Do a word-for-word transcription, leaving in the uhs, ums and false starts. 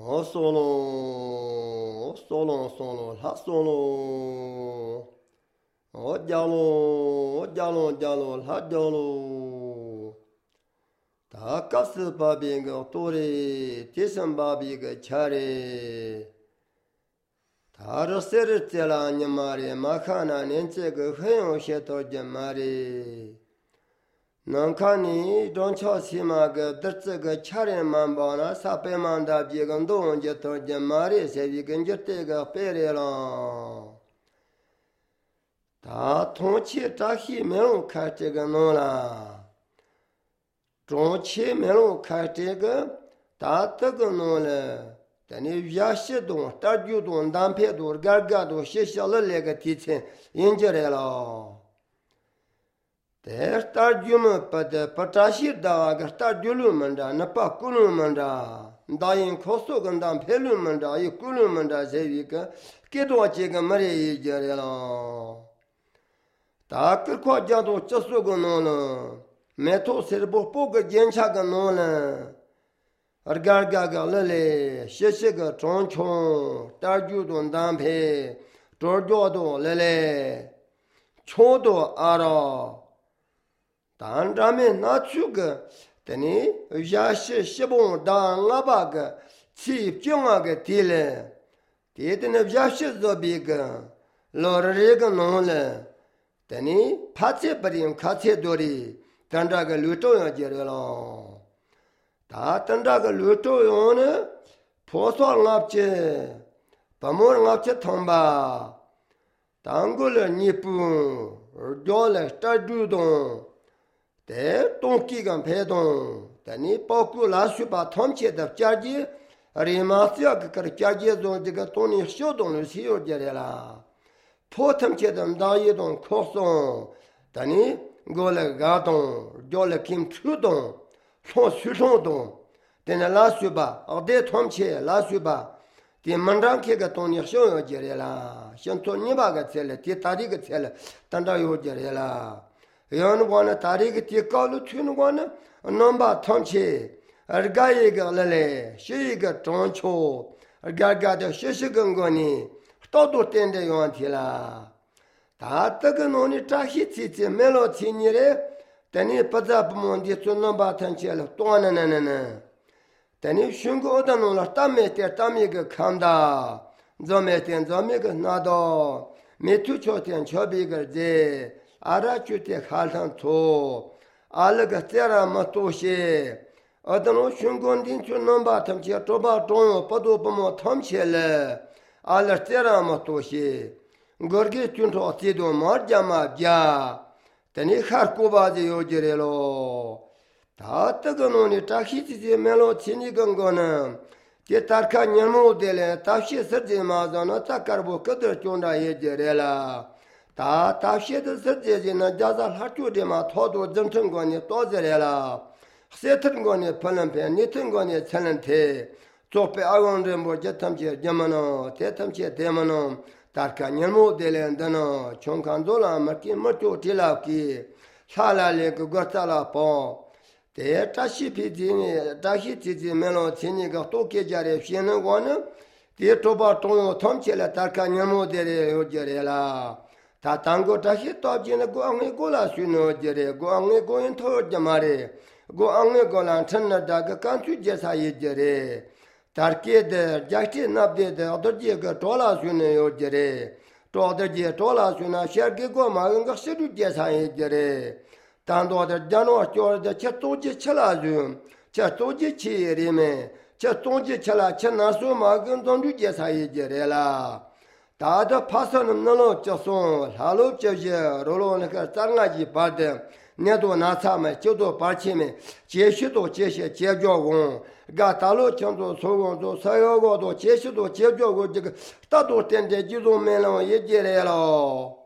哦，嗦喽，嗦喽嗦喽，哈嗦喽，哦，加喽，加喽加喽，哈加喽。他可是把别个多的，提升把别个强的。他这生日在了你妈的，马看那年这个很有些到你妈的。能看你中超起码个得这个强人蛮包呢，啥白蛮大别个东就到你妈的，谁比跟着这个白来了。他同期扎西没有看这个弄了，中期没有看这个，他这个弄了。但你越西东、大九东、南偏东、嘎嘎东、西下了那个提前引进来了。但大九们不得不扎西大个大九路们着，那把古路们着，大人考苏跟当偏路们着，一古路们着，这一个给多几个没得意见来了。大个国家都接受个弄了，没头是不不个检查个弄了。而嘎嘎嘎来来，谢谢个张琼，大九东单配，多角度来来，穷多阿拉，但咱们拿出个，等你也是西方当阿巴个，起将啊个地嘞，地的那也是做别个，老人个弄了，等你怕车不定，卡车多的，但这个路照样接着了。他等这个绿洲用呢，破锁俺去，把门俺去通吧。当过了日本，而家了在主动，在东西跟排动，但你包括拉水把通气的家己，人马是要个个家己从这个东西小东西是有这的啦。破通气的大一动扩松，但你过了嘎动，叫了kim出动。从水上动，但那拉水吧，二代团起拉水吧，第门上开个东西小要接来啦，像做泥巴个菜了，第大的个菜了，当然有接来啦。要那话呢，大的个第高了去那话呢，能把团起，而家一个来来，是一个中秋，而家家的学习跟个呢，到处点的问题啦。他这个农呢，扎西起起没了钱你嘞。但你不在不忙的，做那把谈起了，多呢呢呢呢。但你选个的弄了，大每天大每个看到，早每天早每个拿到，每天秋天秋别个在，阿拉秋天海上头，阿拉个自然么多些。而等我选个的做那把谈起，做把中药不多不忙谈起了，阿拉自然么多些。我给军朝制度嘛加嘛加。但你看古巴就有这了，他这个弄的扎西子的没了钱你跟个呢，这他看年末的了，他些时间嘛，让那他干部各点种着也这了，他他些的时间呢，加上他做的嘛，他都正成个呢，多这了，谁成个呢，不能骗，你成个呢，才能退，做被二万人不这他们去怎么弄，这他们去怎么弄。तार का नियमों देले अंदनो चौंकांदोला मर्की मर्चो टिला की साला ले को गताला पो ते ताशी फिजी ने ताशी चिजी मेलो छिनी का तो के जारे फियन गोन ते टोबा टोयो थम चले तार का नियमों देले हो जरेला ता तांगो ताशी तो जिने गो अंगे गोला सुनो जरे गो अंगे गो इन थो जमारे गो अंगे गोला ठन दाग कांचु जैसा ये जरे तारके जाके नब दे दे अदर जे का टोला सुने यो जरे तो अदर जे टोला सुना शेर के गो मागन का सिरु जैसा है जरे तांदो अदर जानो चोर दे छतो जे चला जु छतो जे चेरे में छतो जे चला छना सो मागन दोंदु जैसा है जरे ला ताद फासन नलो चसो हालो चजे रोलो ने का चांगा जी बाद ने दो नासा में चोदो पाछे में जेशे तो जेशे जेजो गो 가 달로 청도 소고도 사요고도 제시도 제조고 저 따도 텐데 지도 메로 예제래로